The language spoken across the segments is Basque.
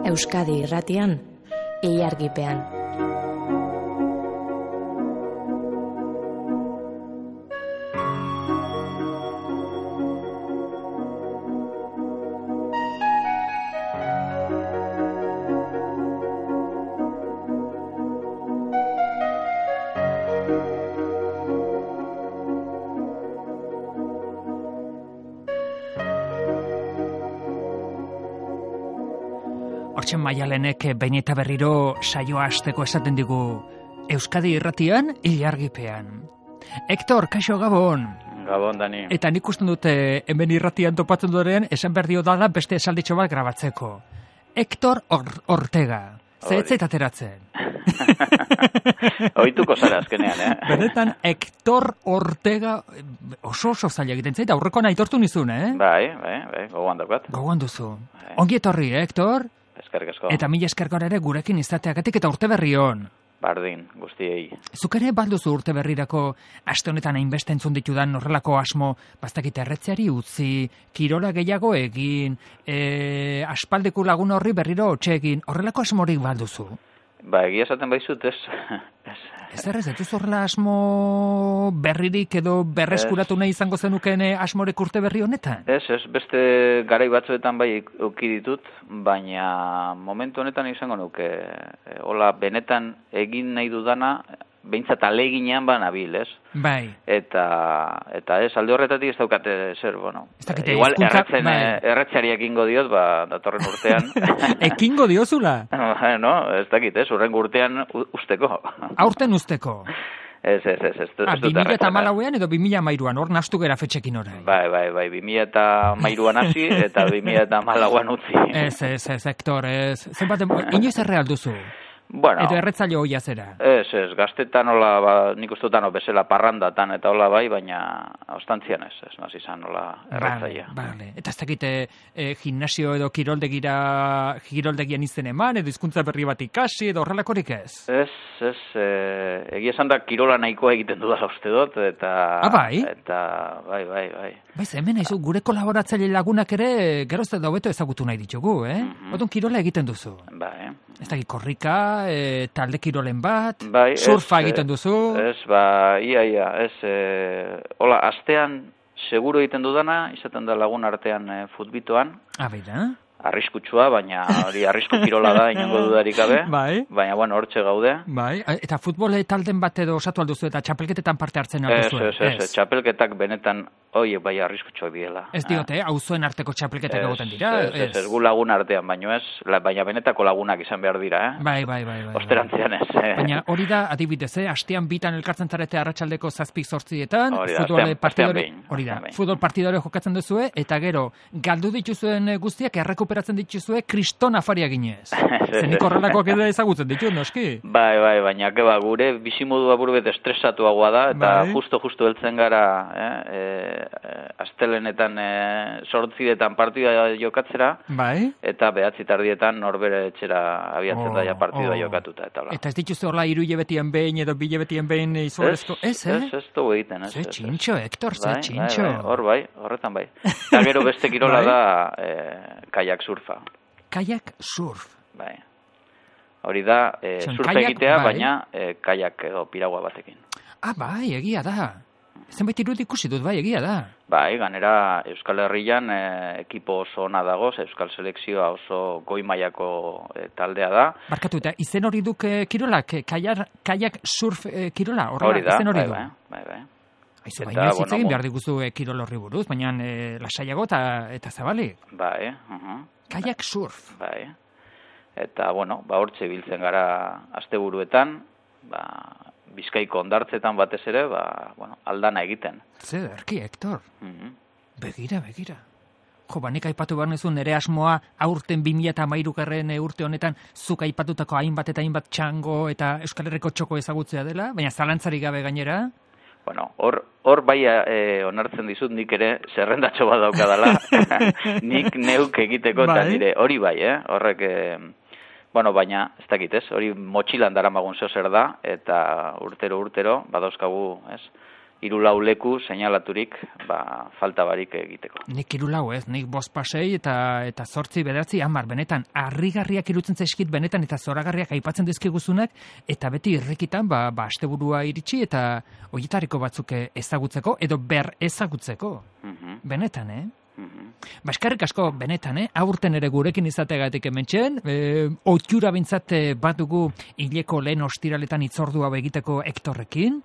Euskadi Irratian, Ilargipean. Hortxe Maialenek behin eta berriro saioa hasteko esaten digu Euskadi Irratian, Ilargipean. Hector, kaixo Gabon. Gabon, Dani. Eta nik usten dute hemen irratian topatzen duren esan behar dio dala beste esalditxo bat grabatzeko. Hector Ortega. Zehetzait ateratzen. Oituko zara azkenean, Benetan, Hector Ortega oso zaila egiten zait, aurrekoan aitortu nizun, Bai, gogoan daukat. Gogoan duzu. Ongi etorri, Hector? Eskerrik asko. Eta mila eskergor ere gurekin izateagatik eta urte berri hon. Bardin, guztiei. Zuk ere balduzu urte berrirako aste honetan hainbeste entzun ditudan horrelako asmo, bastakit erretzeari utzi, kirola gehiago egin, aspaldeko lagun horri berriro hotxe egin, horrelako asmorik balduzu? Ba, egia esaten baizut, ez. Ez duz horrela asmo berririk edo berreskuratu nahi izango zenukeen asmorek urte berri honetan? Ez, beste garai batzuetan bai euki ditut, baina momentu honetan izango nuke, hola, benetan egin nahi dudana, behintzat aleginean nabil, ez? Bai. Eta ez, alde horretatik ez daukate zer, bueno. Igual erretzeari ekingo diot, datorren urtean. Ekingo diozula? No, ez dakit, ez, urrengo urtean usteko. Aurten usteko? Ez. 2014an edo 2013an, hor nastu gera fetxekin orain. Bai, 2013an hasi eta 2014an utzi. Ez, Hector, ez. Zenbat, inoiz erreal duzu? Bueno, edo erretzaile hoia zera? Ez, gaztetan hola, nik ustutan bezala parrandatan eta hola bai, baina ostantzian ez nazi izan hola erretzailea. Vale. Eta ez dakite gimnasio edo kiroldegian izen eman, edo hizkuntza berri bat ikasi, edo horrelakorik ez? Ez, egia esan da kirola nahikoa egiten dudala uste dut, eta... bai? Eta, bai. Baiz, hemen haizu, gure kolaboratzaile lagunak ere gerozte da hobeto ezagutu nahi ditugu, Odun kirola egiten duzu. Bai. Ez dakit korrika, talde kirolen bat, bai, surfa egiten duzu. Ez, ia, hola, astean seguro egiten dudana, izaten da lagun artean futbitoan. Beida? Arriskutsua, baina hori arrisku kirola da, inongo dudarik gabe. Bai. Baina, hortxe gaude. Bai, eta futbol talden bat edo osatu alduzu eta txapelketetan parte hartzen alduzu. Ez, txapelketak benetan, bai arriskutsua biela. Ez diote, auzoen arteko txapelketak egoten dira? Ez, gu lagun artean, baina benetako lagunak izan behar dira, Bai. Osterantzian ez. Baina hori da, adibidez, astean bitan elkartzen zarete arratsaldeko 7:00 futbol partidore jokatzen duzue, eta gero, galdu dituzuen guztiak errekuperatzen dituzue kriston afaria ginez. Zenik horrelakoak edo ezagutzen ditu, noski? Bai, baina gure bizimodua burbet estresatuagoa da, eta justo heltzen gara, astelenetan 8:00 partida jokatzera, eta 9:30 norbere etxera abiatzen da partida jokatuta. Eta ez dituzu horla 3 hilabetien behin edo 2 hilabetien behin izugarrizko? Ez, dugu egiten. Ze txintxo, Hector, ze txintxo. Horretan bai. Eta gero beste kirola da kaiak surfa. Kaiak surf? Bai. Hori da, surfa egitea, baina kaiak edo piragua batekin. Bai, egia da. Zenbait irudi ikusi dut, bai, egia da. Bai, ganera Euskal Herrian ekipo oso ona dago, Euskal Selekzioa oso goi mailako taldea da. Barkatu, eta izen hori duk kirolak, kaiak surf kirola, hori da, izen hori du. Bai. Aizu, baina ez egin behar diguzu kirol horri buruz, baina lasaiago eta zabalik. Bai, Kaiak surf. Bai, eta, hortxe biltzen gara asteburuetan, Bizkaiko ondartzetan batez ere, aldana egiten. Zer, erki, Hector. Begira. Nik aipatu behar nezun, nire asmoa aurten 2013 urte honetan zuk aipatutako hainbat eta hainbat txango eta Euskal Herriko txoko ezagutzea dela, baina zalantzarik gabe gainera. Hor bai onartzen dizut nik ere zerrendatxo bat daukadala, nik neuk egiteko eta nire hori bai, horrek... baina, ez dakit hori motxilan daramagun zer da, eta urtero, badauzkagu, 3-4 leku seinalaturik falta barik egiteko. Nik 3 ez, nik 5 pasei eta 8, 9, 10, benetan harrigarriak irutzen zaizkit benetan eta zoragarriak aipatzen dizkiguzunak eta beti irrikitan asteburua iritsi eta horietariko batzuk ezagutzeko edo ber ezagutzeko. Benetan, Eskerrik asko benetan, aurten ere gurekin izateagatik hementxen, ohitura bintzat bat dugu hileko lehen ostiraletan hitzordu hau egiteko Hektorrekin,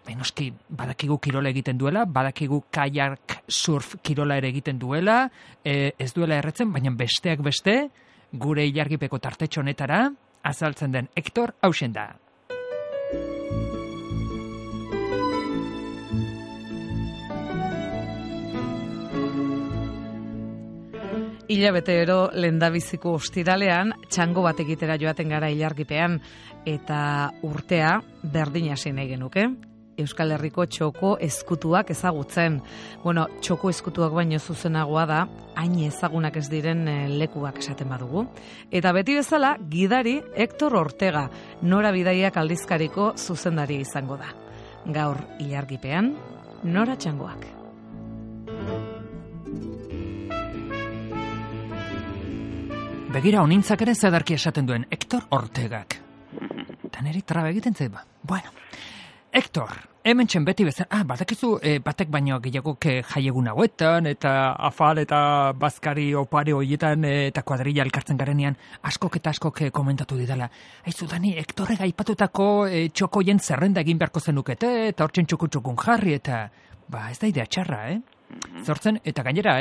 benoski badakigu kirola egiten duela, badakigu kayak surf kirola ere egiten duela, ez duela erretzen, baina besteak beste, gure ilargipeko tartetxo honetara, azaltzen den Hektor hausen da. Hilabetero lehendabiziko ostiralean txango bat egitera joaten gara ilargipean eta urtea berdin hasi nahi genuke. Euskal Herriko txoko ezkutuak ezagutzen. Bueno, txoko ezkutuak baino zuzenagoa da, hain ezagunak ez diren lekuak esaten badugu. Eta beti bezala, gidari Hektor Ortega, Nora Bidaiak aldizkariko zuzendaria izango da. Gaur ilargipean, Nora txangoak. Begira honintzak ere zedarki esaten duen Hektor Ortegak. Eta niri traba egiten zait ba. Bueno, Hektor, hemen txen beti bezala, badakizu batek baino gehiagok jaiegun hauetan, eta afal eta bazkari opare horietan eta kuadrilla elkartzen garenean askok eta askok komentatu didala. Aizu, Dani, Hektorrek aipatutako txokoien zerrenda egin beharko zenukete, eta hortzen txukun jarri, eta ez da idea txarra, Zortzen, eta gainera,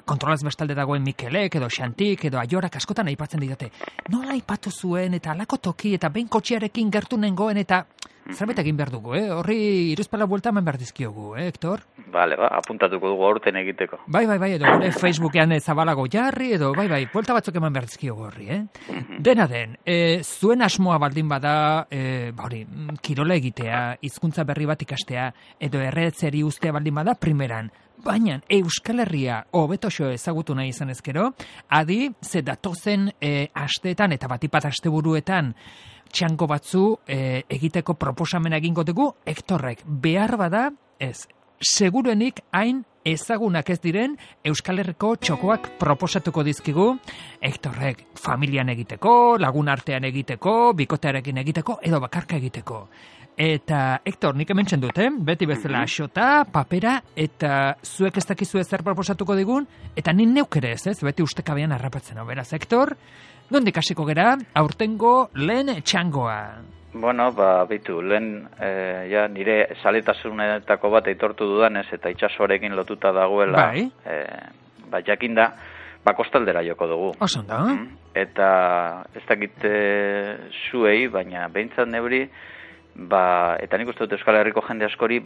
kontrolaz bestalde dagoen Mikelek, edo Xantik, edo Aiorak askotan aipatzen didate. Nola aipatu zuen, eta alako toki, eta behin kotxearekin gertu nengoen, eta zerbait egin behar dugu, Horri iruzpala buelta eman behar dizkiogu, Hektor? Bale, apuntatuko dugu aurten egiteko. Bai, edo gure Facebookean zabalago jarri, edo buelta batzuk eman behar dizkiogu horri, Dena den, zuen asmoa baldin bada, kirola egitea, hizkuntza berri bat ikastea, edo erretzeri ustea baldin bada, primeran, baina Euskal Herria hobetoxo ezagutu nahi izan ezkero, adi, ze datozen asteetan eta batipat asteburuetan txango batzu egiteko proposamena egingo dugu, Hektorrek behar bada, seguruenik hain ezagunak ez diren Euskal Herriko txokoak proposatuko dizkigu, Hektorrek familian egiteko, lagun artean egiteko, bikotearekin egiteko, edo bakarka egiteko. Eta, Hektor, nik hemen txendut, beti bezala xota, papera, eta zuek ez dakizu ezer proposatuko digun, eta nin neuk ere ez, beti ustekabean harrapatzen. Beraz, Hektor, nondik hasiko gera, aurtengo lehen txangoa? Bueno, bitu, lehen nire saletasunetako bat aitortu dudanez, eta itxasoarekin lotuta dagoela, jakinda, kostaldera joko dugu. Oso da? Eta ez dakit zuei, baina behintzat neuri, eta nik uste dut Euskal Herriko jende askori,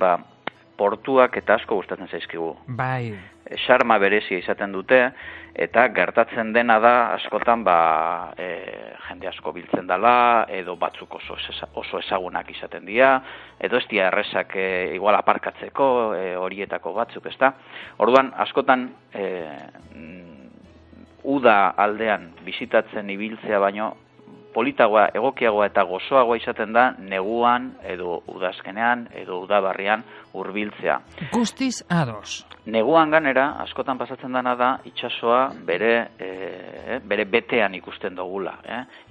portuak eta asko gustatzen zaizkigu. Bai. Xarma berezia izaten dute, eta gertatzen dena da askotan jende asko biltzen dela, edo batzuk oso ezagunak izaten dira, edo ez dira errezak igual aparkatzeko horietako batzuk, ezta? Orduan, askotan uda aldean bizitatzen ibiltzea baino, politagoa, egokiagoa eta gozoagoa izaten da neguan, edo udazkenean, edo udabarrian hurbiltzea. Guztiz ados. Neguan ganera, askotan pasatzen dena da, itsasoa bere betean ikusten dugula.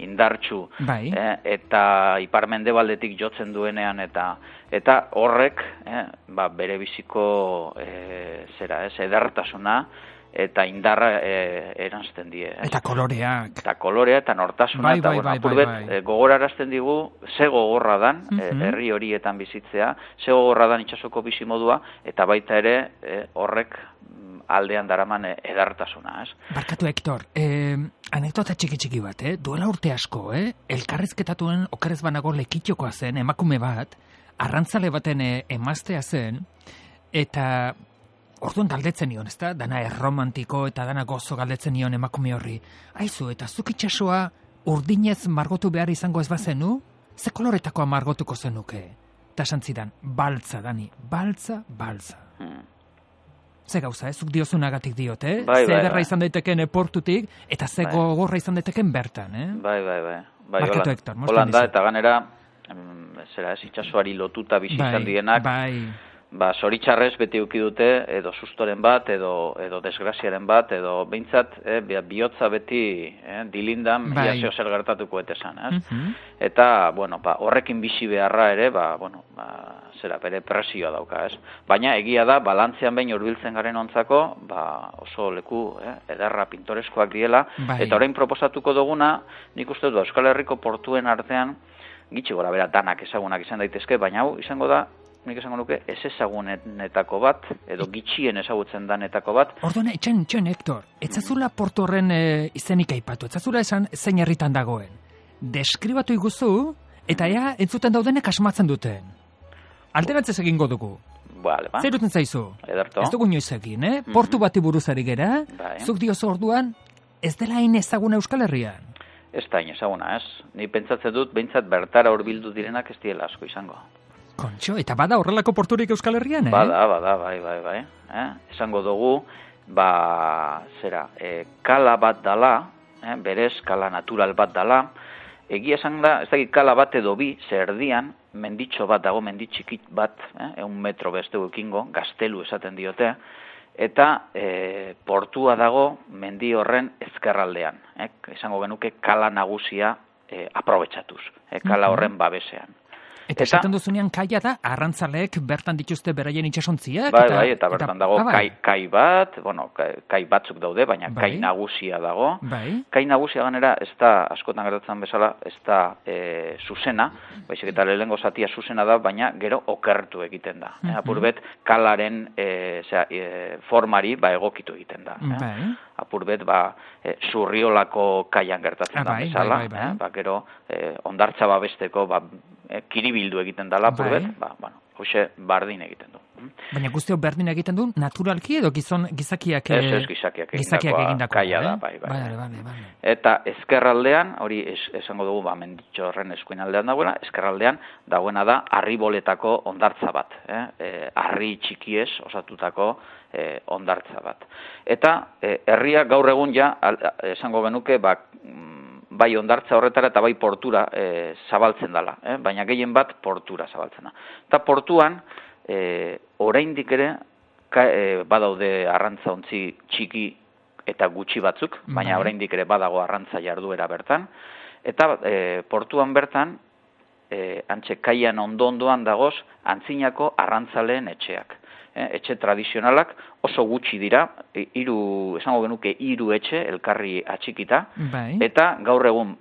Indartsu. Bai. Eta ipar-mendebaldetik jotzen duenean, eta horrek, bere biziko edertasuna, eta indarra eranzten die. Eta koloreak. Eta kolorea, eta nortasuna, eta gogorarazten digu, ze gogorra dan, herri horietan bizitzea, ze gogorra dan itsasoko bizimodua, eta baita ere horrek aldean daraman edartasuna, Barkatu, Hektor, anekdota txiki bat, duela urte asko, elkarrizketatuen okerez banago lekitxokoa zen, emakume bat, arrantzale baten emaztea zen, eta orduan galdetzen nion, ezta? Dana erromantiko eta dana gozo galdetzen nion emakume horri. Aizu, eta zuk itsasoa urdinez margotu behar izango ez bazenu? Ze koloretakoa margotuko zenuke? Eta santzidan, baltza, Dani, baltza. Ze gauza, zuk diozunagatik diot, Ze ederra izan daiteken portutik, eta ze gogorra izan daiteken bertan, Bai. Barkatu, Hektor, Holanda, eta ganera, itsasoari lotuta bizi izan dienak, zoritxarrez beti uki dute, edo sustoren bat, edo desgraziaren bat, edo behintzat, bihotza beti dilindan, ia zer gertatuko etesan, Eta, horrekin bizi beharra ere, bere presioa dauka, Baina egia da, balantzean behin hurbiltzen garen ontzako, oso leku ederra pintoreskoak diela, eta orain proposatuko duguna, nik uste dut Euskal Herriko portuen artean, gitxi gora bera danak ezagunak izan daitezke, baina hau izango da, nik esango nuke, ez ezagunetako bat, edo gitxien ezagutzen danetako bat. Orduan, etxen, Hector, etzazula portu horren izenik aipatu, etzazula esan zein herritan dagoen. Deskribatu iguzu, eta ea entzuten daudenek asmatzen duten. Alteratzez egingo dugu. Zer duten zaizu? Ederto. Ez dugu inoiz egin, Portu bati buruzari gera, zuk diozu orduan, ez dela hain ezaguna Euskal Herrian? Ez da hain ezaguna, Ni pentsatzen dut, behintzat bertara hurbildu direnak ez diela asko izango. Kontxo, eta bada horrelako porturik Euskal Herrian, Bada, bai. Esango dugu, kala bat dala, berez, kala natural bat dala, egia esan da, ez dakit kala bat edo bi, zerdian, menditxo bat dago, menditxikit bat, 1 metro beste ekingo, gaztelu esaten diote, eta portua dago mendi horren ezkerraldean. Esango genuke kala nagusia aprobetxatuz, kala horren babesean. Eta esaten duzunean kaia da, arrantzaleek bertan dituzte beraien itxasontziak? Bai, eta bertan dago kai bat, kai batzuk daude, baina kai nagusia dago. Kai nagusia ganera, ez da, askotan gertatzen bezala, ez da zuzena, baizik eta lehengo zatia zuzena da, baina gero okertu egiten da. Apurbet, kalaren formari egokitu egiten da. Apurbet, zurriolako kaian gertatzen da bezala, gero ondartza babesteko kiribildu egiten dela, apurbet, hoxe bardin egiten du. Baina guztio berdin egiten du, naturalki edo gizakiak egindakoa kaia da, bai. Eta ezkerraldean, hori esango dugu, menditxo horren eskuin aldean dagoena, ezkerraldean dagoena da, harriboletako ondartza bat, harri txikiez osatutako ondartza bat. Eta herria gaur egun esango genuke, bai ondartza horretara eta bai portura zabaltzen dela, baina gehien bat portura zabaltzen da. Eta portuan, oraindik ere, badaude arrantzaontzi txiki eta gutxi batzuk, baina oraindik ere badago arrantza jarduera bertan, eta portuan bertan, antxe kaian ondoan dagoz, antzinako arrantzaleen etxeak. Etxe tradizionalak oso gutxi dira, esango genuke 3 etxe elkarri atxikita, eta gaur egun,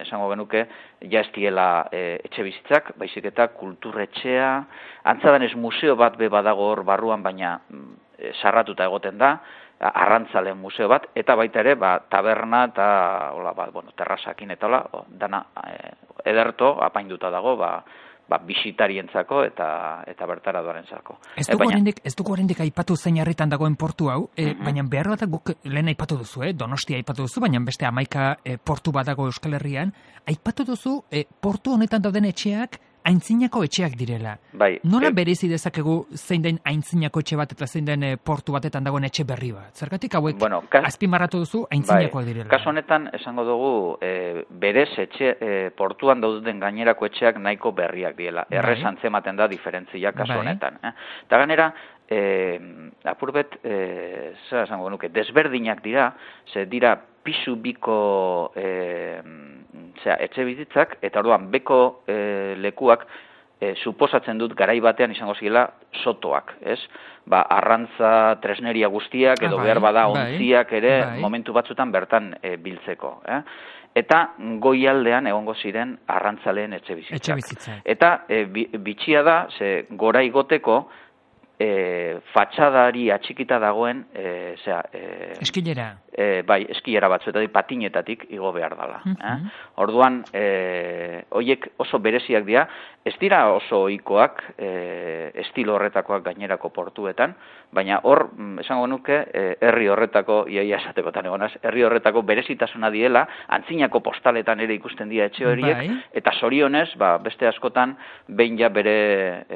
esango genuke, ez diela etxe bizitzak, baizik eta kulturretxea, antzadanez museo bat badago hor barruan, baina sarratuta egoten da, arrantzaleen museo bat, eta baita ere, taberna eta terrasakin eta dana ederto apainduta dago, bisitarientzako eta bertara doarentzako. Ez dugu oraindik aipatu zein herritan dagoen portu hau, baina behar bat guk lehen aipatu duzu, Donostia aipatu duzu, baina beste 11 portu bat dago Euskal Herrian, aipatu duzu portu honetan dauden etxeak aintzinako etxeak direla. Nola berezi dezakegu zein den aintzinako etxe bat eta zein den portu batetan dagoen etxe berri bat? Zergatik hauek azpimarratu duzu aintzinako direla? Kasu honetan esango dugu berez etxe portuan dauden gainerako etxeak nahiko berriak direla. Errez antzematen da diferentzia kasu honetan. Eta ganera, apurbet, zer esango nuke, desberdinak dira, ze dira pisu biko etxe bizitzak, eta orduan beko lekuak suposatzen dut garai batean izango zirela sotoak, ez? Arrantza tresneria guztiak, edo behar bada ontziak ere momentu batzutan bertan biltzeko. Eta goialdean egongo ziren arrantzaleen etxe bizitzak. Eta bitxia da, ze gora igoteko, fatxadari atxikita dagoen eskilera. Bai, eskilera batzu eta patinetatik igo behar dela. Orduan, horiek oso bereziak dira, ez dira oso ohikoak estilo horretakoak gainerako portuetan, baina hor, esango nuke, herri horretako, iaia esatekotan egonaz, herri horretako berezitasuna diela, antzinako postaletan ere ikusten dira etxe horiek, eta zorionez, beste askotan, behin ja bere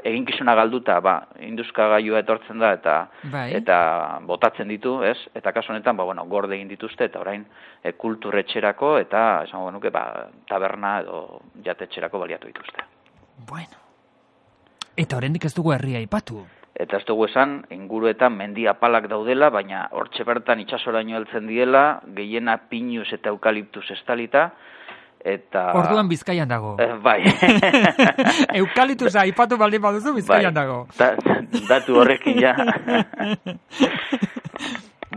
eginkizuna galduta, induzkagailua etortzen da eta botatzen ditu, ez? Eta kasu honetan, gorde egin dituzte eta orain kulturretxerako eta esango genuke taberna edo jatetxerako baliatu dituzte. Bueno. Eta oraindik ez dugu herria aipatu. Eta ez dugu esan, inguruetan mendi apalak daudela, baina hortxe bertan itsasoraino heltzen diela, gehiena pinuz eta eukaliptuz estalita, eta... Orduan Bizkaian dago. Bai. Eukaliptusa aipatu baldin baduzu Bizkaian dago. Datu horrekin ja.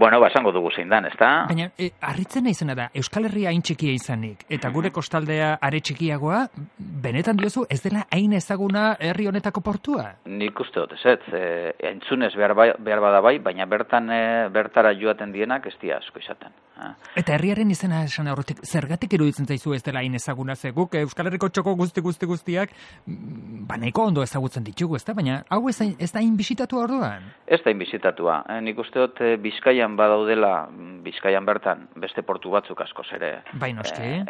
Esango dugu zein dan, ezta? Baina, harritzen izena da, Euskal Herria hain txikia izanik, eta gure kostaldea are txikiagoa, benetan diozu ez dela hain ezaguna herri honetako portua? Nik uste dut, entzunez behar bada bai, baina bertara joaten dienak ez dia asko izaten. Eta herriaren izena esan aurretik, zergatik iruditzen zaizu ez dela hain ezaguna zeguk, Euskal Herriko txoko guztiak, nahiko ondo ezagutzen ditugu, ezta? Baina, hau ez da hain bisitatua orduan? Ez da hain bisitatua. Nik uste dut Bizkaian badaudela, Bizkaian bertan, beste portu batzuk askoz ere. Bai, noski.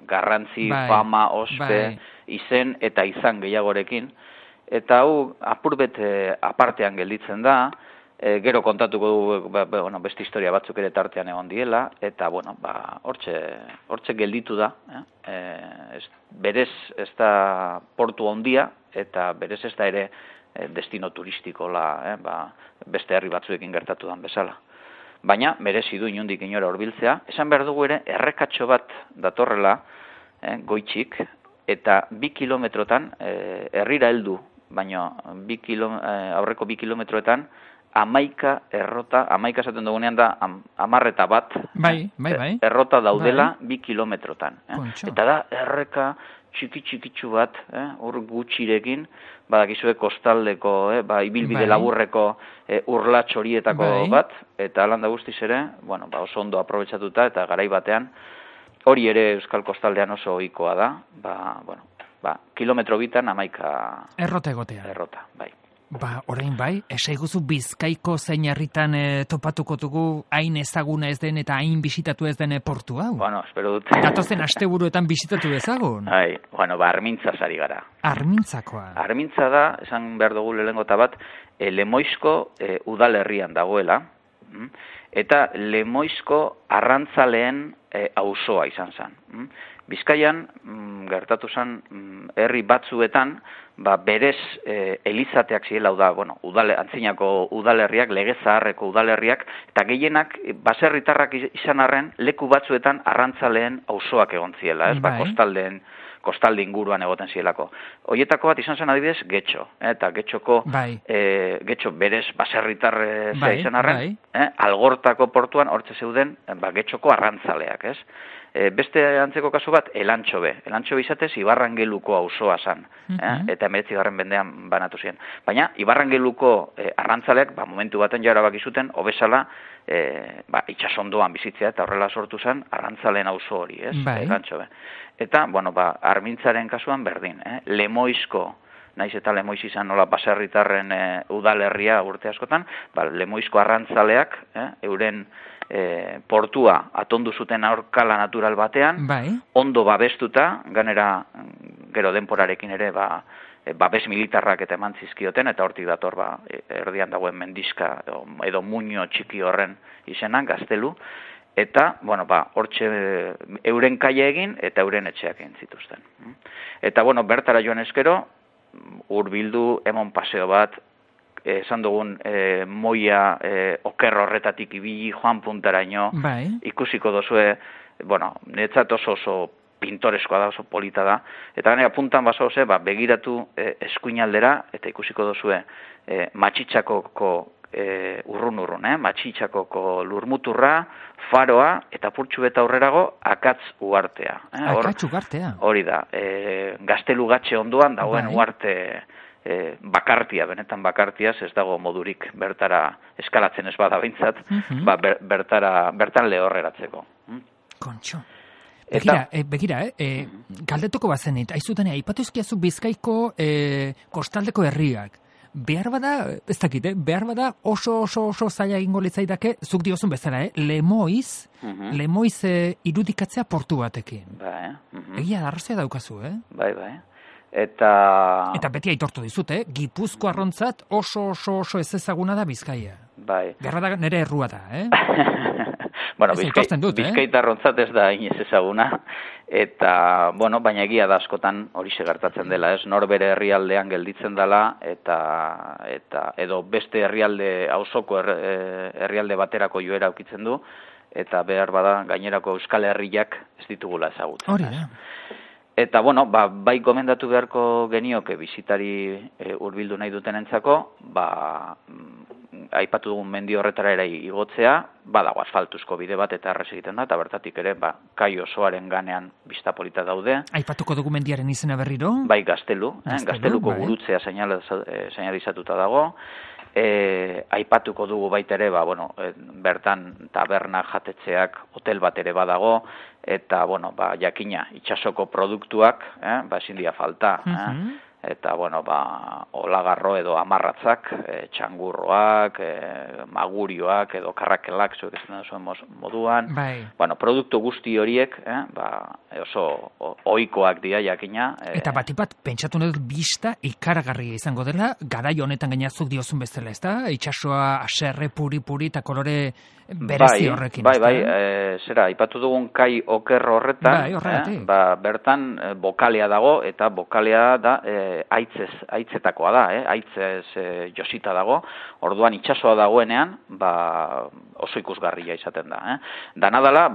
Garrantzi, fama, ospe, izen eta izan gehiagorekin. Eta hau, apurbet apartean gelditzen da, gero kontatuko du beste historia batzuk ere tartean egon diela, eta hortxe gelditu da. Berez ez da portu handia, eta berez ez da ere destino turistikola, beste herri batzuekin gertatu dan bezala. Baina, merezi du inondik inora hurbiltzea, esan behar dugu ere, errekatxo bat datorrela, goitxik, eta 2 kilometrotan, herrira heldu, baina aurreko 2 kilometroetan, 11 errota, 11 esaten dugunean da, 10 bat, errota daudela 2 kilometrotan. Eta da, erreka txiki-txikitsu bat, hor gutxirekin, badakizue kostaldeko, ibilbide laburreko urlatx horietako bat, eta alanda guztiz ere, oso ondo aprobetxatuta, eta garai batean, hori ere Euskal Kostaldean oso ohikoa da, kilometro bitan 11 errota egotea. Errota, bai. Orain bai, esaiguzu Bizkaiko zein herritan topatuko dugu hain ezaguna ez den eta hain bisitatu ez den portu hau? Espero dut. Datozen asteburuetan bisitatu ezagun? Armintzaz ari gara. Armintzakoa? Armintza da, esan behar dugu lehenengo eta bat, Lemoizko udalerrian dagoela, eta Lemoizko arrantzaleen auzoa izan zen. Bizkaian, gertatu zen, herri batzuetan, berez elizateak zirela, antzinako udalerriak, lege zaharreko udalerriak, eta gehienak baserritarrak izan arren leku batzuetan arrantzaleen auzoak egon ziela, kostalde inguruan egoten zielako. Hoietako bat izan zen adibidez Getxo, eta Getxoko Getxo berez baserritar izan arren, Algortako portuan hortze zeuden Getxoko arrantzaleak, ez? Beste antzeko kasu bat, Elantxobe. Elantxobe izatez, Ibarrangeluko auzoa zan, eta 19. mendean banatu ziren. Baina, Ibarrangeluko arrantzaleak, momentu baten jara bakizuten, obesala, itxasondoan bizitzea, eta horrela sortu zen, arrantzaleen auzo hori, ez? Elantxobe. Eta, Armintzaren kasuan berdin, Lemoizko, naiz eta Lemoiz izan nola baserritarren udalerria urte askotan, Lemoizko arrantzaleak, euren portua atondu zuten aurkala natural batean, ondo babestuta, ganera gero denporarekin ere babes militarrak eta eman zizkioten, eta hortik dator erdian dagoen mendizka edo muño txiki horren izenan, Gaztelu, eta, hortxe euren kaia egin eta euren etxeak egin zituzten. Eta, bertara joan ezkero, hurbildu emon paseo bat, esan dugun moia oker horretatik ibili joan puntaraino, ikusiko dozue, netzat oso pintoreskoa da, oso polita da, eta ganera puntan baso begiratu eskuinaldera, eta ikusiko dozue Matxitxakoko urrun, Matxitxakoko lurmuturra, faroa, eta purtsu eta aurrerago akatz uhartea. Akatz uhartea? Hori da, Gaztelu gatxe ondoan dagoen uarte bakartia, benetan bakartiaz, ez dago modurik bertara eskalatzen ez bada behintzat, bertan lehorreratzeko. Kontxo. Begira, galdetuko bazenit, aizuten, aipatuzkiazu Bizkaiko kostaldeko herriak. Behar bada, ez dakit, behar bada oso zaila egingo litzaidake, zuk diozun bezala, Lemoiz irudikatzea portu batekin. Egia, arrazia daukazu, Bai. Eta beti aitortu dizut, Gipuzkoarrontzat oso ez ezaguna da Bizkaia. Bai. Gerra da nere errua da, Bueno, Bizkaitarrontzat ez da inoiz ezaguna, eta, baina egia da askotan hori gertatzen dela, ez? Nor bere herrialdean gelditzen dela, eta edo beste herrialde, auzoko herrialde baterako joera aukitzen du, eta behar bada gainerako Euskal Herriak ez ditugula ezagutzen. Hori da. Eta, bai gomendatu beharko genioke bizitari hurbildu nahi dutenentzako, aipatu dugun mendi horretara ere igotzea, badago asfaltuzko bide bat eta errez egiten da, eta bertatik ere, kai osoaren ganean bista polita daude. Aipatuko dugu mendiaren izena berriro? Bai, Gazteluko gurutzea seinalizatuta dago. Aipatuko dugu baita ere, bertan taberna jatetxeak hotel bat ere badago, eta, jakina, itsasoko produktuak, ezin dira falta, eta, olagarro edo amarratzak, txangurroak, magurioak edo karrakelak, zuek ez zuen moduan. Produktu guzti horiek, oso ohikoak dira jakina. Eta bat pentsatu dut bista ikaragarria izango dela, garai honetan gainazuk diozun bezala, ez da? Itxasoa aserre, puri eta kolore berezi horrekin. Zera, ipatu dugun kai oker horretan, bertan bokalea dago, eta bokalea da aitzetakoa da, aitzez josita dago, orduan itsasoa dagoenean, oso ikusgarria izaten da. Dana dela,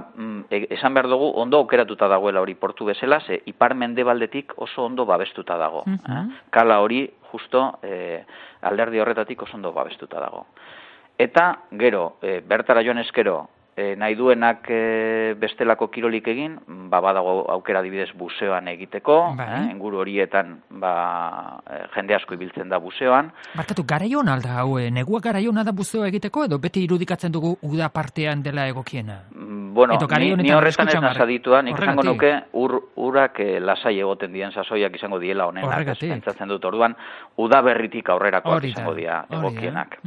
esan behar dugu, ondo okeratuta dagoela hori portu bezala, ze ipar mendebaldetik oso ondo babestuta dago. Kala hori, justo, alderdi horretatik oso ondo babestuta dago. Eta, gero, bertara joan eskero, nahi duenak bestelako kirolik egin, badago aukera adibidez buseoan egiteko, inguru horietan jende asko ibiltzen da buseoan. Barkatu, garaion alda hau, negua garaiona da buseoa egiteko, edo beti irudikatzen dugu uda partean dela egokiena? Ni horretan ez nazaditua, nik izango nuke urak lasai egoten dien sasoiak izango diela honenak, pentsatzen dut orduan, uda berritik aurrerakoak izango dira egokienak.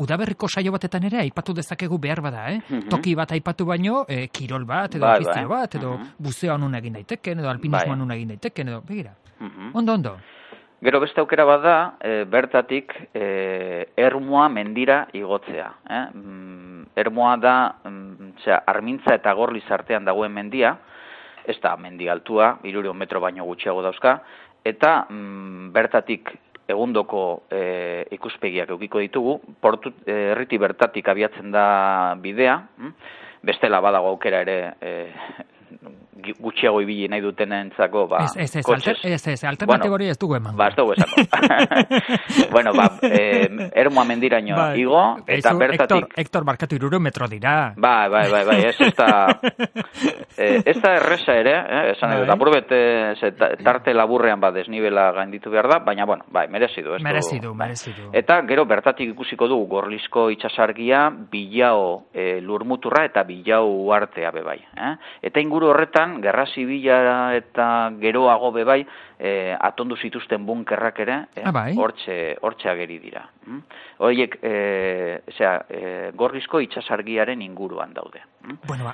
Udaberriko saio batetan ere aipatu dezakegu behar bada, Toki bat aipatu baino, kirol bat, edo afizio bat, edo buzeoan nun egin daiteken, edo alpinismoan nun egin daiteken, edo, begira. Ondo. Gero beste aukera bat da, bertatik Ermua mendira igotzea. Ermua da, Armintza eta Gorliz artean dagoen mendia, ez da mendi altua, 300 metro baino gutxiago dauzka, eta bertatik egundoko ikuspegiak edukiko ditugu, herriti bertatik abiatzen da bidea, bestela badago aukera ere gutxiago ibili nahi dutenentzako, Ez, alternatibo hori ez dugu eman. Ez dugu esako. Ermua mendiraino igo, eta bertatik... Hector, barkatu 300 metro dira. Ez da erresa ere, esan edo, apurbet tarte laburrean desnibela gainditu behar da, baina, merezi du. Merezi du. Eta, gero, bertatik ikusiko dugu Gorlizko itsasargia, Bilao lurmuturra eta Bilao uartea bebai. Eta inguru horretan, gerra zibila eta geroago bebai, atondu zituzten bunkerrak ere, hortxe ageri dira. Horiek, Gorlizko itsasargiaren inguruan daude.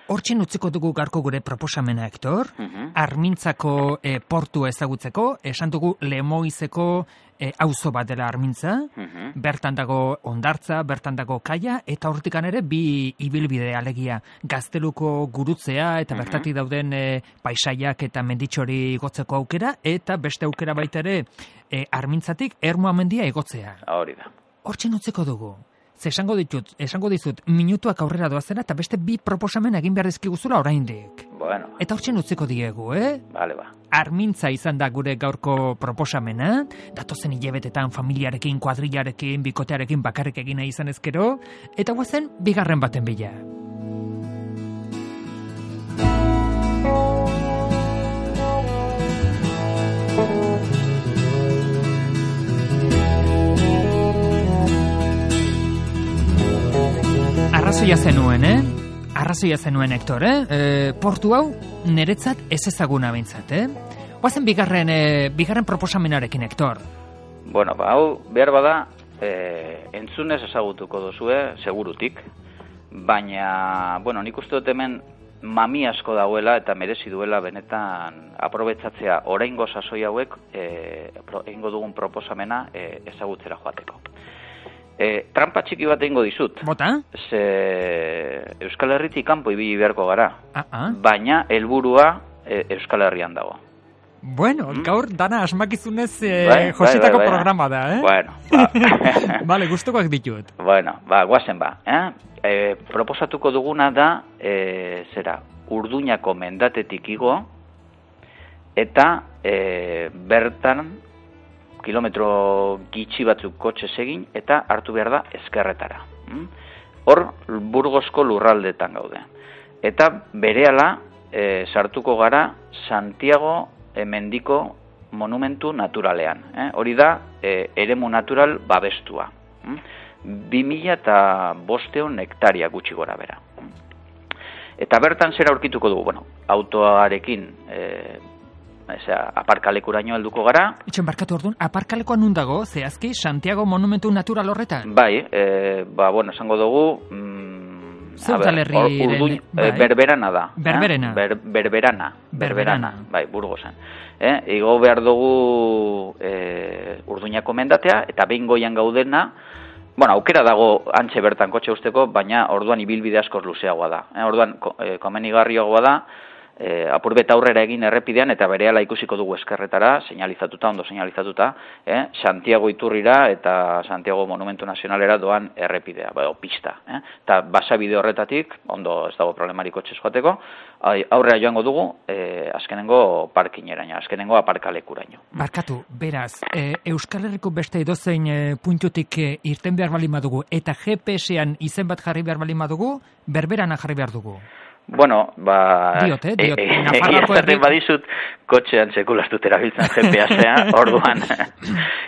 Hortxen utziko dugu garko gure proposamena, Hector, Armintzako portua ezagutzeko, esan dugu Lemoizeko auzo bat dela Armintza, bertan dago hondartza, bertan dago kaia, eta hortikan ere bi ibilbide alegia Gazteluko gurutzea, eta bertatik dauden paisaiak eta menditxori igotzeko aukera, eta beste aukera baita ere Armintzatik Ermua mendia igotzea. Hori da. Hortxen utziko dugu. Esango dizut, minutuak aurrera doazera, eta beste bi proposamen egin behar dizkiguzula oraindik. Eta hortxen utziko diegu, Armintza izan da gure gaurko proposamena, datozen hilabetetan familiarekin, kuadrilarekin, bikotearekin bakarrik egina izan ezkero, eta guazen bigarren baten bila. Arrazoia zenuen, Arrazoia zenuen, Hector, Portu hau niretzat ez ezaguna bintzat, Oazen bigarren proposamenarekin, Hector. Hau behar bada, entzunez ezagutuko duzue, segurutik, baina, nik uste dut hemen mami asko dagoela eta merezi duela benetan aprobetxatzea oraingo sasoi hauek egingo dugun proposamena ezagutzera joateko. Trampa txiki bat egingo dizut. Bota? Ze Euskal Herritik kanpo ibili beharko gara. Baina helburua Euskal Herrian dago. Bueno, gaur dana asmakizunez Josetako programa da, Bueno, Vale, gustukoak ditut. Bueno, guazen proposatuko duguna da, Urduñako mendatetik igo, eta bertan kilometro gitxi batzuk kotxez egin, eta hartu behar da ezkerretara. Hor, Burgosko lurraldetan gaude. Eta berehala sartuko gara Santiago mendiko monumentu naturalean. Hori da, eremu natural babestua. 2.500 hektaria gutxi gora bera. Eta bertan zera aurkituko dugu, autoarekin aparkalekuraino helduko gara. Itxen barkatu orduan, aparkalekoa nun dago, zehazki, Santiago monumentu natural horretan? Bai, esango dugu, Berberana da. Berberana, bai, Burgosan. Igo behar dugu Urduñako mendatea, eta behin goian gaudena, aukera dago antxe bertan kotxe usteko, baina orduan ibilbide askoz luzeagoa da. Orduan komenigarriagoa da, apurbeta aurrera egin errepidean, eta berehala ikusiko dugu eskerretara, ondo señalizatuta, Santiago Iturrira eta Santiago Monumentu Nazionalera doan errepidea, pista. Eta basabide horretatik, ondo ez dago problemarik kotxez joateko, aurrera joango dugu, azkenengo parkineraino, azkenengo aparkalekuraino. Barkatu, beraz, Euskal Herriko beste edozein puntutik irten behar bali madugu, eta GPS-ean izen bat jarri behar bali madugu, Berberana jarri behar dugu. Bueno, Diot. Egiaztaten badizut, kotxean sekulastut erabiltzen GPS-a, orduan.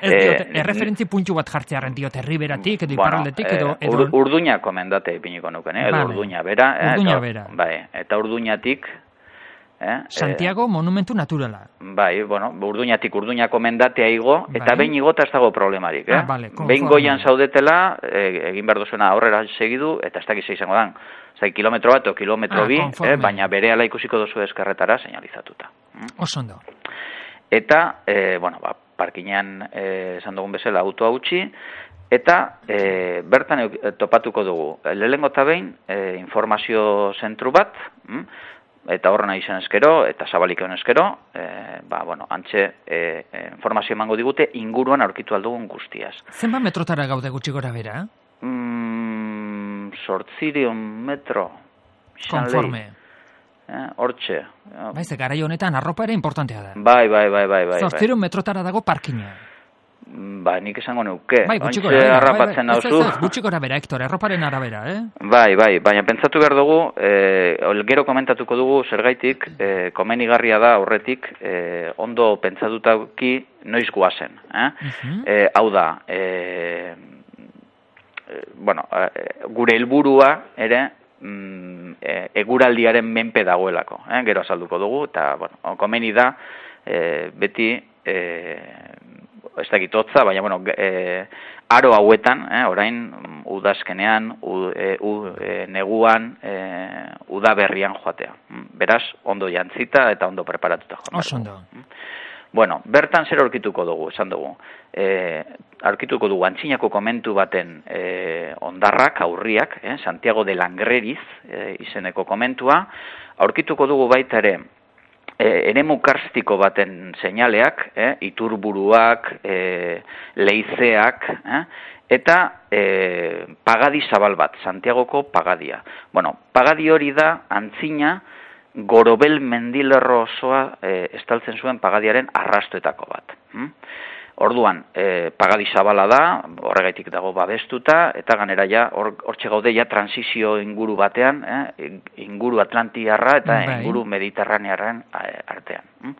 Erreferentzi puntu bat jartzearen diot, Herriberatik, edo Iparraldetik, edo... Urduñako mendate ipiniko nuken, edo Urduña bera. Bai, eta Urduñatik... Santiago monumentu naturala. Bai, Urduñatik Urduñako mendatea igo, eta behin igota ez dago problemarik. Behin goian zaudetela, egin behar duzuena aurrera segidu, eta ez dakiz izango dan. Kilometro bat o kilometro bi, baina berehala ikusiko duzu eskerretara señalizatuta. Osondo. Eta, parkinean esan dugun bezala autoa utzi, eta bertan topatuko dugu. Lehengo eta behin informazio zentru bat, eta horrena izan eskero, eta zabalik egon eskero, antxe informazio emango digute inguruan aurkitu aldugun guztiaz. Zenba metrotara gaude gutxi gora bera? 800 metro. Konforme. Hortxe. Baize, garai honetan arropa ere importantea da. Bai. 800 metrotara dago parkina. Nik esango nuke. Bai, gutxi gora bera. Harrapatzen nauzu. Gutxi gora bera, Hector, erroparen arabera, Bai, baina pentsatu behar dugu, gero komentatuko dugu, zergaitik, komenigarria da horretik, ondo pentsatutaki noiz guazen. Hau da, gure helburua ere eguraldiaren menpe dagoelako, gero azalduko dugu, eta komeni da beti ez dakit hotza, baina aro hauetan, orain udazkenean, neguan, udaberrian joatea. Beraz, ondo jantzita eta ondo preparatuta joan. Osondo. Bertan zer aurkituko dugu, esan dugu. Aurkituko dugu antzinako komentu baten ondarrak, aurriak, Santiago de Langreriz izeneko komentua. Aurkituko dugu baita ere, eremu karstiko baten seinaleak, iturburuak, leizeak, eta pagadi zabal bat, Santiagoko pagadia. Pagadi hori da antzina, Gorobel mendilerro osoa estaltzen zuen pagadiaren arrastoetako bat. Orduan, pagadi zabala da, horregaitik dago babestuta, eta ganera ja, hortxe gaude ja transizio inguru batean, inguru atlantiarra eta inguru mediterranearen artean.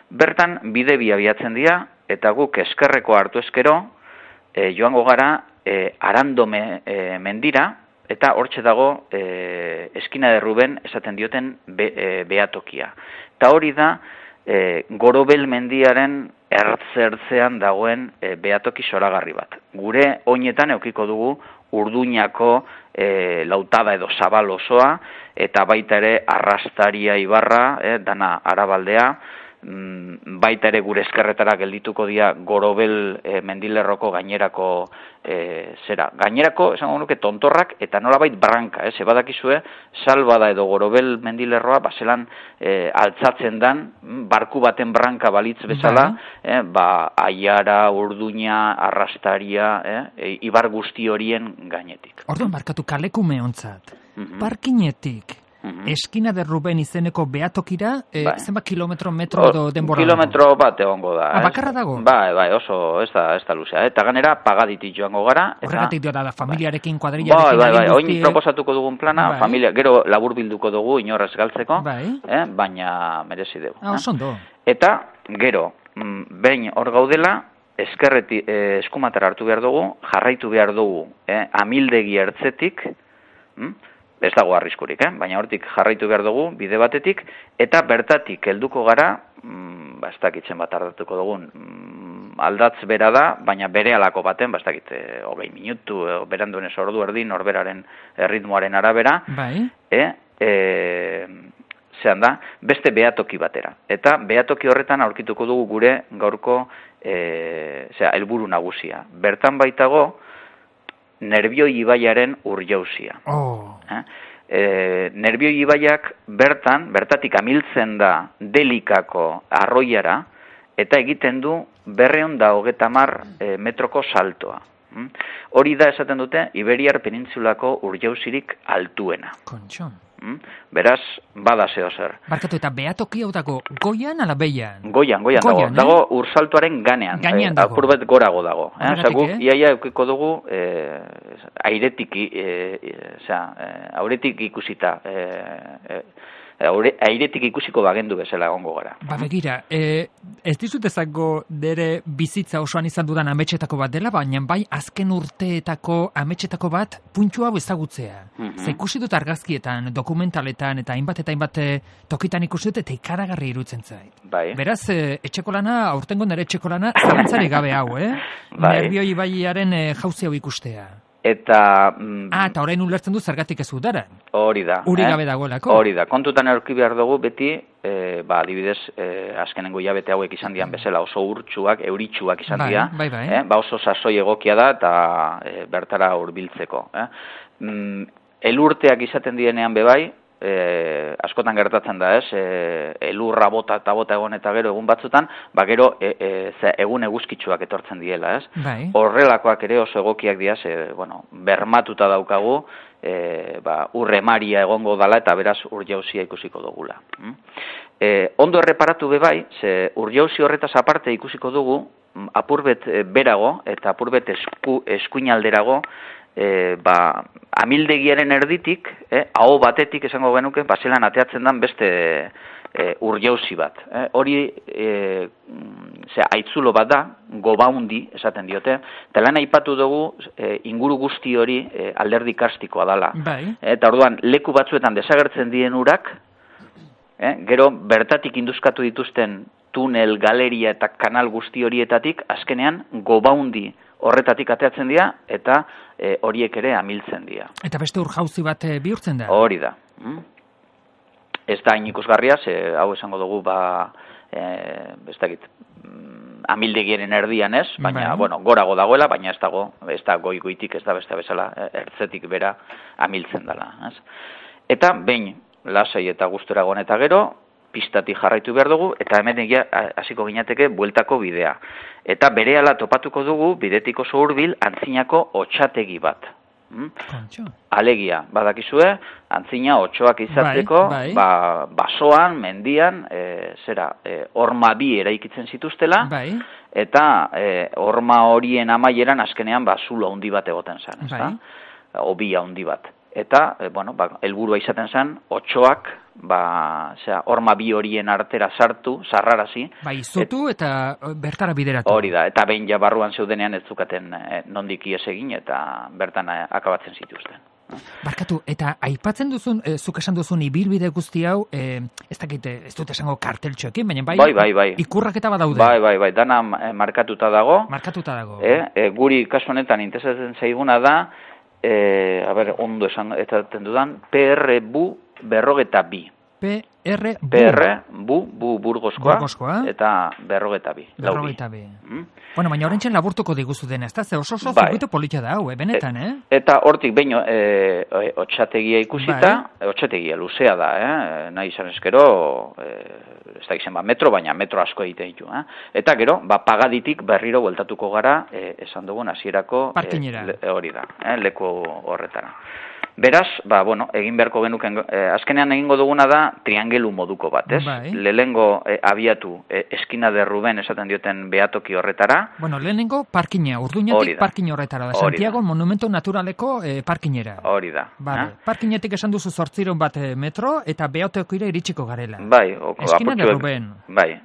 Bertan bide bi abiatzen dira, eta guk eskerreko hartu eskero, joango gara Arando mendira, eta hortxe dago eskina de Ruben esaten dioten behatokia. Eta hori da Gorobel mendiaren ertzertzean dagoen behatoki zoragarri bat. Gure oinetan eukiko dugu Urduñako lautada edo zabal osoa, eta baita ere Arrastaria ibarra, dana Arabaldea, baita ere gure eskerretara geldituko dira Gorobel mendilerroko gainerako gainerako, esango nuke, tontorrak eta nolabait branka, badakizue, Salbada edo Gorobel mendilerroa baselan altzatzen dan, barku baten branka balitz bezala, Aiara, Urduña, Arrastaria, ibar guzti horien gainetik. Orduan barkatu kalekume ontzat, parkinetik, Eskina de Ruben izeneko behatokira, zenbat kilometro, metro edo denbora? Kilometro bat egongo da. Bakarra dago? Bai, oso, ez da luzea. Eta ganera, pagaditik joango gara. Horregatik da, familiarekin, kuadrillarekin. Bai, oin proposatuko dugun plana, familia, gero labur bilduko dugu, inorrez galtzeko, baina merezi dugu. Osondo. Eta, gero, behin hor gaudela, eskumatera hartu behar dugu, jarraitu behar dugu, amildegi ertzetik, ez dago arriskurik, baina hortik jarraitu behar dugu, bide batetik, eta bertatik helduko gara, ez dakitzen bat ardatuko dugun, aldatz bera da, baina bere alako baten, ez dakit, 20 minutu, beranduenez ordu erdi, norberaren ritmoaren arabera, zehan da, beste behatoki batera. Eta behatoki horretan aurkituko dugu gure gaurko helburu nagusia. Bertan baitago, Nerbioi ibaiaren urjauzia. Nerbioi ibaiak bertatik amiltzen da Delikako arroiara, eta egiten du 230 metroko saltoa. Hori da esaten dute Iberiar penintsulako urjauzirik altuena. Kontxon. Beraz, bada zeo zer. Barkatu, eta behatoki hau dago goian ala behian? Goian dago. Dago ursaltuaren ganean. Gainean dago. Apurbet gorago dago. Guk iaia eukiko dugu airetik ikusita. Airetik ikusiko bagendu bezala egongo gara. Begira, ez dizut ezango dere bizitza osoan izan dudan ametxetako bat dela, baina bai azken urteetako ametxetako bat puntxu hau ezagutzea. Ze ikusi dut argazkietan, dokumentaletan eta hainbat tokitan ikusi dut eta ikaragarri irutzen zait. Beraz, etxeko lana, aurtengo nire etxeko lana, zalantzari gabe hau, Nerbioi ibaiaren jauzi hau ikustea. Eta orain ulertzen du zergatik ez udaran. Hori da. Uri gabe dagoelako. Hori da. Kontutan aurki behar dugu beti, adibidez, azkenengo hilabete hauek izan dian bezala oso urtsuak, euritsuak izan dira. Oso sasoi egokia da eta bertara hurbiltzeko. Elurteak izaten dienean bebai, askotan gertatzen da, elurra bota egon eta gero egun batzutan, gero egun eguzkitsuak etortzen diela, Horrelakoak ere oso egokiak dira, bermatuta daukagu, urremaria egongo dala eta beraz urjauzia ikusiko dugula. Ondo erreparatu bebai, urjauzi horretaz aparte ikusiko dugu, apurbet berago eta apurbet eskuinalderago, amildegiaren erditik, aho batetik esango genuke, baselan ateatzen dan beste urjauzi bat. Hori aitzulo bat da, gobaundi esaten diote, eta lan aipatu dugu inguru guzti hori alderdi karstikoa dala. Eta orduan, leku batzuetan desagertzen dien urak, gero bertatik induzkatu dituzten tunel, galeria eta kanal guzti horietatik, azkenean gobaundi horretatik ateatzen dira, eta horiek ere amiltzen dira. Eta beste urjauzi bat bihurtzen da? Hori da. Ez da hain ikusgarria, hau esango dugu, ez dakit, amildegiaren erdian ez, baina, gorago dagoela, baina ez da goitik, ez da beste bezala, ertzetik bera amiltzen dela. Eta behin, lasai eta gustura egon eta gero, pistatik jarraitu behar dugu, eta hemen hasiko ginateke bueltako bidea. Eta berehala topatuko dugu, bidetik oso hurbil, antzinako otxategi bat. Alegia, badakizue, antzina otxoak izatzeko, basoan, mendian, horma bi eraikitzen zituztela, eta horma horien amaieran azkenean zulo handi bat egoten zen, obia handi bat. Eta, helburua izaten zen, otxoak, horma bi horien artera sartu, sarrarazi. Izutu eta bertara bideratu. Hori da, eta behin ja barruan zeudenean ez zukaten nondik ies egin eta bertan akabatzen zituzten. Barkatu, eta aipatzen duzun, zuk esan duzun ibilbide guzti hau, ez dakit, ez dut esango karteltxoekin, baina bai. Ikurraketa badaude. Bai, dana markatuta dago. Markatuta dago. Guri kasu honetan interesatzen zaiguna da, ondo esan ezaten dudan, PR-BU 42. PR-BU Burgoskoa, eta 42. 42. Bueno, baina horrentxen laburtuko diguzu dena, ez da? Ze oso zirkuito polita da, benetan, Eta hortik behin otxategia ikusita, otxategia luzea da, nahi izan eskero, ez da izen metro, baina metro asko egiten ditu. Eta gero, pagaditik berriro bueltatuko gara, esan dugun hasierako parkinera. Hori da, leku horretara. Beraz, egin beharko genuken, azkenean egingo duguna da triangelu moduko bat, ez? Bai. Lehenengo abiatu eskina de Ruben esaten dioten behatoki horretara. Bueno, lehenengo parkina, Urduñatik parkin horretara da. Santiago Monumento Naturaleko parkinera. Hori da. Parkinetik esan duzu 800 bat metro eta behatokira iritsiko garela. Bai. Eskina de Ruben. Bai.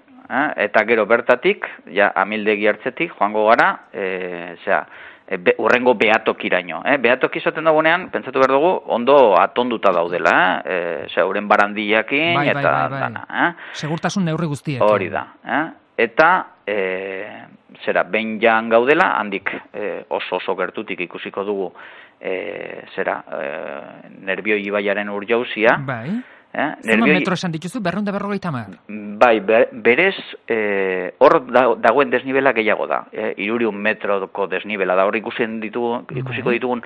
Eta gero bertatik, amildegi hartzetik, joango gara, urrengo behatokiraino. Behatoki izaten dagoenean, pentsatu behar dugu, ondo atonduta daudela, uren barandiakin, eta dana. Segurtasun neurri guztiak. Hori da. Eta, behin jan gaudela, handik oso gertutik ikusiko dugu, Nerbioi ibaiaren urjauzia. Bai. Zema metro esan dituzu, 250? Bai, berez, hor dagoen desnibela gehiago da. 300 metroko desnibela da. Hor ikusiko ditugun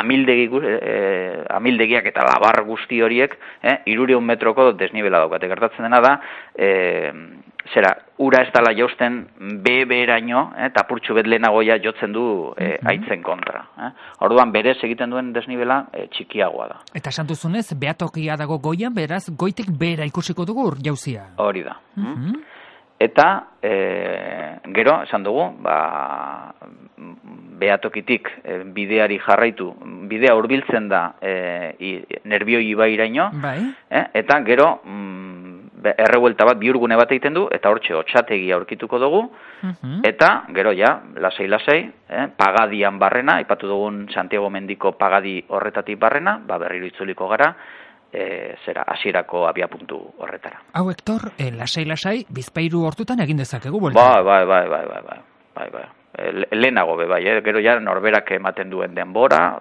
amildegiak eta labar guzti horiek, 300 metroko desnibela daukate. Gertatzen dena da, ura ez dala jausten beheraino, tapurtxu bet lehenagoia jotzen du aitzen kontra. Orduan, berez egiten duen desnibela txikiagoa da. Eta esan duzunez, behatokia dago goian, beraz, goitik behera ikusiko dugu jauzia. Hori da. Eta, gero, esan dugu, behatokitik bideari jarraitu, bidea hurbiltzen da Nerbioi ibairaino, eta gero, errebuelta bat, bihurgune bat egiten du, eta hortxe otxategia aurkituko dugu, eta gero lasai, pagadian barrena, aipatu dugun Santiago Mendiko pagadi horretatik barrena, berriro itzuliko gara, hasierako abiapuntu horretara. Hau, Hector, lasai, Bizpahiru hortutan egin dezakegu, bolta? Bai. Lehenago bai, gero norberak ematen duen denbora,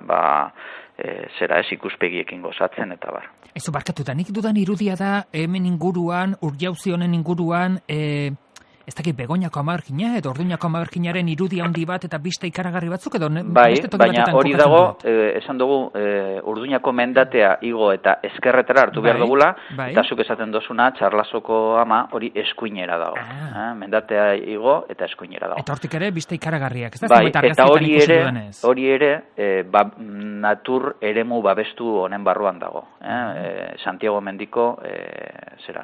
ikuspegiekin gozatzen, eta bar. Ezo barkatuta, nik dudan irudia da, hemen inguruan, urjauzi honen inguruan, ez dakit Begoñako Amagerkina edo Orduñako Amagerkinaren irudi handi bat eta bista ikaragarri batzuk edo beste toki batetan kokatzen dut. Baina hori dago, esan dugu, Orduñako mendatea igo eta eskerretara hartu behar dugula, eta zuk esaten dozuna, Txarlasoko ama hori eskuinera dago. Mendatea igo eta eskuinera dago. Eta hortik ere bista ikaragarriak, ez da? Bai, eta hori ere, natur eremu babestu honen barruan dago. Santiago Mendiko,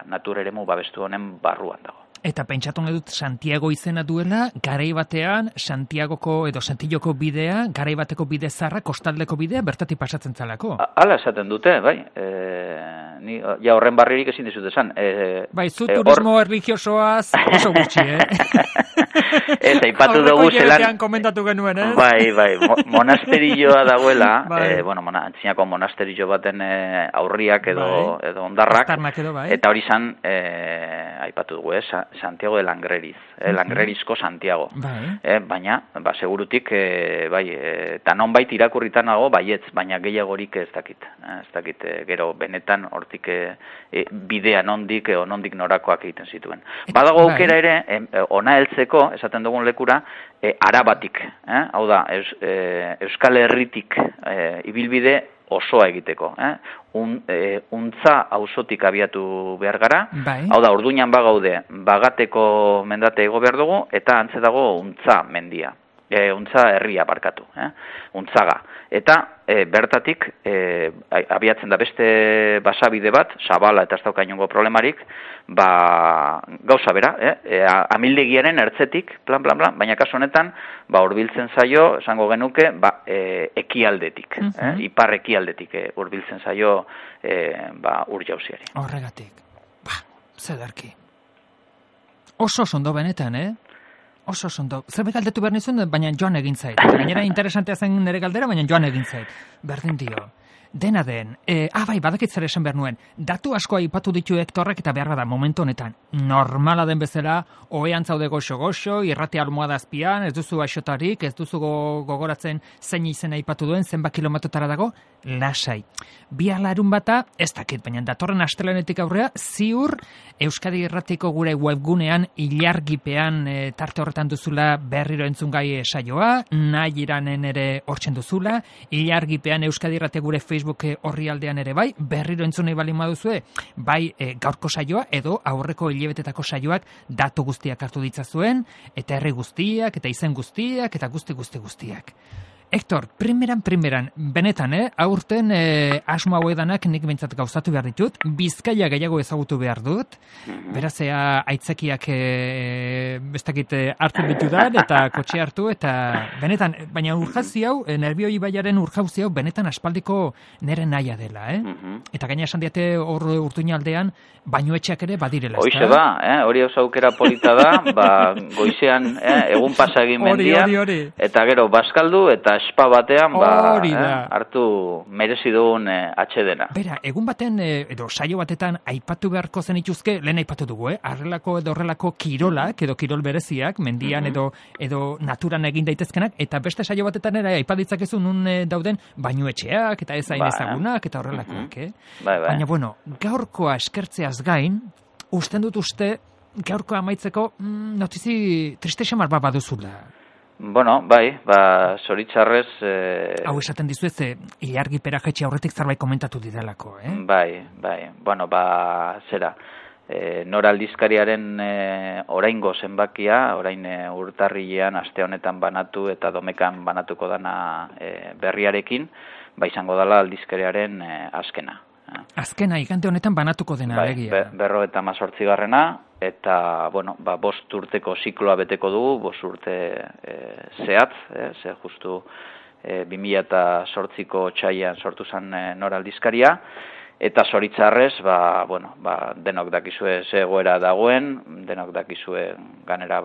natur eremu babestu honen barruan dago. Eta pentsatu nahi dut Santiago izena duela, garai batean Santiagoko edo Santilloko bidea, garai bateko bide zarra, kostaldeko bidea, bertatik pasatzen zalako. Hala esaten dute, bai. Ja horren barririk ezin dizut esan. Bai, zu turismo erligiosoaz oso gutxi, Ez, aipatu dugu zelan... komentatu genuen, ez? Bai, monasterilloa dagoela, antzinako monasterillo baten aurriak edo ondarrak, eta hori zan, aipatu dugu, Santiago de Langreriz, Langrerizko Santiago. Baina, segurutik, eta nonbait irakurritan nago, baietz, baina gehiagorik ez dakit. Gero benetan hortik bidea nondik norakoak egiten zituen. Badago aukera ere, ona heltzeko, esaten dugun lekura, arabatik. Hau da, Euskal Herritik ibilbide osoa egiteko. Untza auzotik abiatu behar gara. Hau da, Orduñan bagaude, Bagateko mendate ego behar dugu, eta antze dago Untza mendia. Untza herria barkatu. Untzaga. Eta bertatik abiatzen da beste basabide bat, Zabala eta ez dauka inongo problemarik, gauza bera, amildegiaren ertzetik, plan, baina kasu honetan, hurbiltzen zaio, esango genuke, ekialdetik, ipar ekialdetik hurbiltzen zaio urjauziari. Horregatik, zederki. Oso ondo benetan, Oso ondo. Zerbait galdetu behar nizuen, baina joan egin zait. Gainera interesantea zen nire galdera, baina joan egin zait. Berdin dio. Dena den, bai, badakit zer esan behar nuen, datu asko aipatu ditu Hektorrek eta behar bada momentu honetan, normala den bezala, ohean zaude goxo-goxo, irrati almohada azpian, ez duzu aixotarik, ez duzu gogoratzen zein izena aipatu duen, zenbat kilometrotara dago, lasai. Bi alarun bata, ez dakit, baina datorren astelenetik aurrea, ziur Euskadi Irratiko gure webgunean ilargipean tarte horretan duzula berriro entzungai saioa, nahi iranen ere hortzen duzula, ilargipean Euskadi Irrate gure Facebook horri aldean ere bai, berriro entzunei bali maduzue, bai gaurko saioa edo aurreko hilebetetako saioak datu guztiak hartu ditzazuen, eta herri guztiak, eta izen guztiak, eta guztiak. Hektor, primeran, benetan, aurten asmo hauedanak nik behintzat gauzatu behar ditut, Bizkaia gehiago ezagutu behar dut, berazea aitzakiak bestakit hartu ditudan, eta kotxe hartu, eta benetan, baina urjauzi hau, Nerbioi ibaiaren urjauzi hau, benetan aspaldiko nire nahia dela, Eta gaina esan diate hor Urtuña aldean, bainuetxeak ere badirela. Hoize ba, hori oso aukera polita da, goizean egun pasa egin mendian, eta gero bazkaldu, eta espa batean hartu merezi dugun atxedena. Bera, egun baten edo saio batetan aipatu beharko zenituzke, lehen aipatu dugu, arrelako edo horrelako kirolak edo kirol bereziak, mendian edo naturan egin daitezkenak, eta beste saio batetan ere aipatitzakezu nun dauden bainuetxeak eta ez hain ezagunak eta horrelakoak. Baina, bueno, gaurkoa eskertzeaz gain, usten gaurkoa amaitzeko notizi triste xamar bat baduzula. Bueno, zoritzarrez... Hau esaten dizuez, ilargipera jetxe aurretik zerbait komentatu didalako, Bai. Bueno, zera. Nora aldizkariaren oraingo zenbakia, orain urtarrilean aste honetan banatu eta domekan banatuko dana berriarekin, izango dela aldizkariaren azkena. Azkena, igande honetan banatuko dena, egia. 58. Eta, bueno, 5 urteko zikloa beteko dugu, 5 urte zehatz, ze justu 2008ko txaian sortu zen Nora aldizkaria, eta zoritzarrez, denok dakizue ze egoera dagoen, denok dakizue ganera,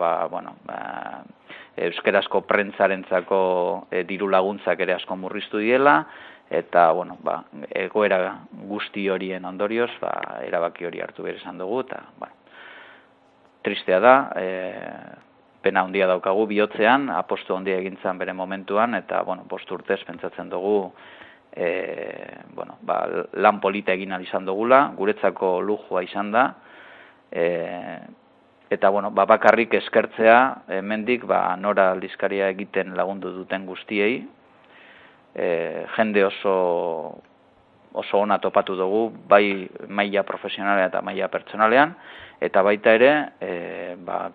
euskerazko prentzarentzako diru laguntzak ere asko murriztu diela, eta, egoera guzti horien ondorioz, erabaki hori hartu behar izan dugu, eta, tristea da, pena handia daukagu bihotzean, apostu handia egintzan bere momentuan, eta, 5 urtez pentsatzen dugu, lan polita egin izan dugula, guretzako lujua izan da, eta, bakarrik eskertzea, hemendik, Nora aldizkaria egiten lagundu duten guztiei, jende oso ona topatu dugu, bai maila profesionalean eta maila pertsonalean, eta baita ere,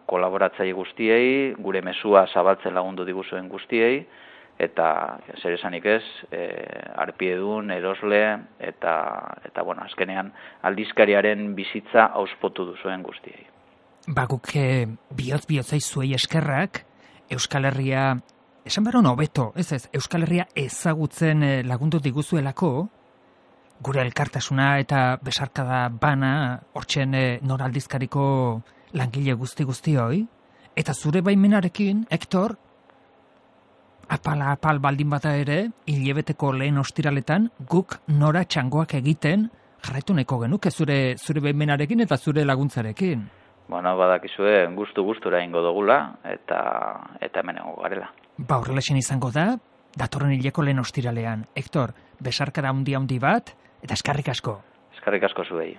kolaboratzaile guztiei, gure mezua zabaltzen lagundu diguzuen guztiei, eta zer esanik ez, arpiedun, erosle, eta azkenean aldizkariaren bizitza auspotu duzuen guztiei. Guk bihotz-bihotzai zuei eskerrak, Euskal Herria, esan baron hobeto, Euskal Herria ezagutzen lagundu diguzuelako, gure elkartasuna eta besarkada bana hortzen Nora aldizkariko langile guzti hoi, eta zure baimenarekin, Hektor, apal baldin bata ere, hilebeteko lehen ostiraletan, guk Nora txangoak egiten jarraitu nahiko genuke zure baimenarekin eta zure laguntzarekin. Bueno, badakizue gustura ingo dugula, eta hemen egongo garela. Horrelaxen izango da, datorren hileko lehen ostiralean. Hektor, besarkada handi bat, eta eskerrik asko. Eskerrik asko zuei.